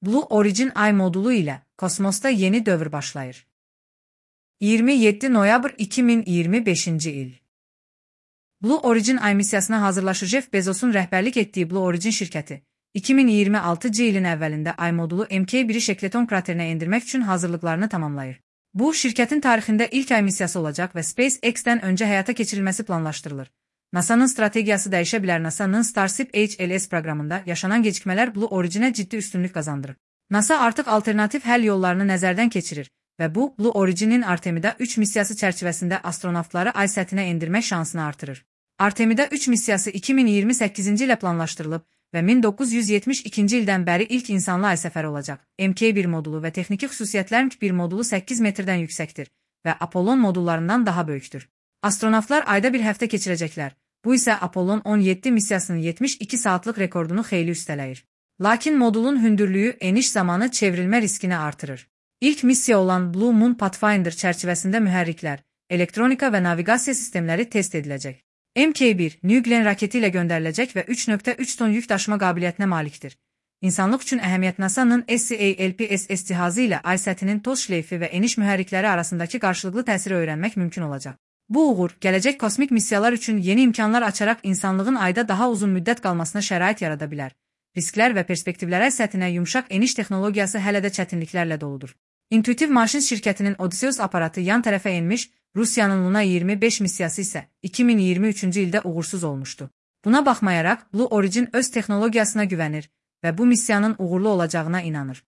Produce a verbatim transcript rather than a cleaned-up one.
Blue Origin Ay modulu ilə kosmosda yeni dövr başlayır. iyirmi yeddi noyabr iki min iyirmi beşinci il. Blue Origin Ay missiyasına hazırlaşır. Jeff Bezos'un rəhbərlik etdiyi Blue Origin şirkəti, iki min iyirmi altıncı ilin əvvəlində Ay modulu M K biri Shackleton kraterinə endirmək üçün hazırlıqlarını tamamlayır. Bu, şirkətin tarixində ilk ay missiyası olacaq və SpaceX-dən öncə həyata keçirilməsi planlaşdırılır. NASA'nın strategiyası dəyişə bilər. NASA'nın Starship H L S proqramında yaşanan gecikmələr Blue Origin'ə ciddi üstünlük qazandırır. NASA artıq alternativ həll yollarını nəzərdən keçirir və bu, Blue Origin'in Artemida üç missiyası çərçivəsində astronavtları ay səthinə endirmək şansını artırır. Artemida üç missiyası iki min iyirmi səkkizinci ilə planlaşdırılıb və min doqquz yüz yetmiş ikinci ildən bəri ilk insanlı ay səfəri olacaq. M K bir modulu və texniki xüsusiyyətlər M K bir modulu səkkiz metrdən yüksəkdir və Apollon modullarından daha böyükdür. Astronavtlar ayda bir həftə keçirəcəklər. Bu isə Apollon on yeddi missiyasının yetmiş iki saatlıq rekordunu xeyli üstələyir. Lakin modulun hündürlüyü eniş zamanı çevrilmə riskini artırır. İlk missiya olan Blue Moon Pathfinder çərçivəsində mühərriklər, elektronika və naviqasiya sistemləri test ediləcək. M K bir, New Glenn raketi ilə göndəriləcək və üç nöqtə üç ton yük daşıma qabiliyyətinə malikdir. İnsanlıq üçün əhəmiyyət NASA'nın S C A L P S S cihazı ilə ay səthinin toz şleyfi və eniş mühərrikləri arasındakı qarşılıqlı təsiri öyrənmək mümkün olacaq. Bu uğur, gələcək kosmik missiyalar üçün yeni imkanlar açaraq insanlığın ayda daha uzun müddət qalmasına şərait yarada bilər. Risklər və perspektivlərə ay səthinə yumşaq eniş texnologiyası hələ də çətinliklərlə doludur. Intuitive Machines şirkətinin Odysseus aparatı yan tərəfə enmiş, Rusiyanın Luna iyirmi beş missiyası isə iki min iyirmi üçüncü ildə uğursuz olmuşdu. Buna baxmayaraq, Blue Origin öz texnologiyasına güvənir və bu missiyanın uğurlu olacağına inanır.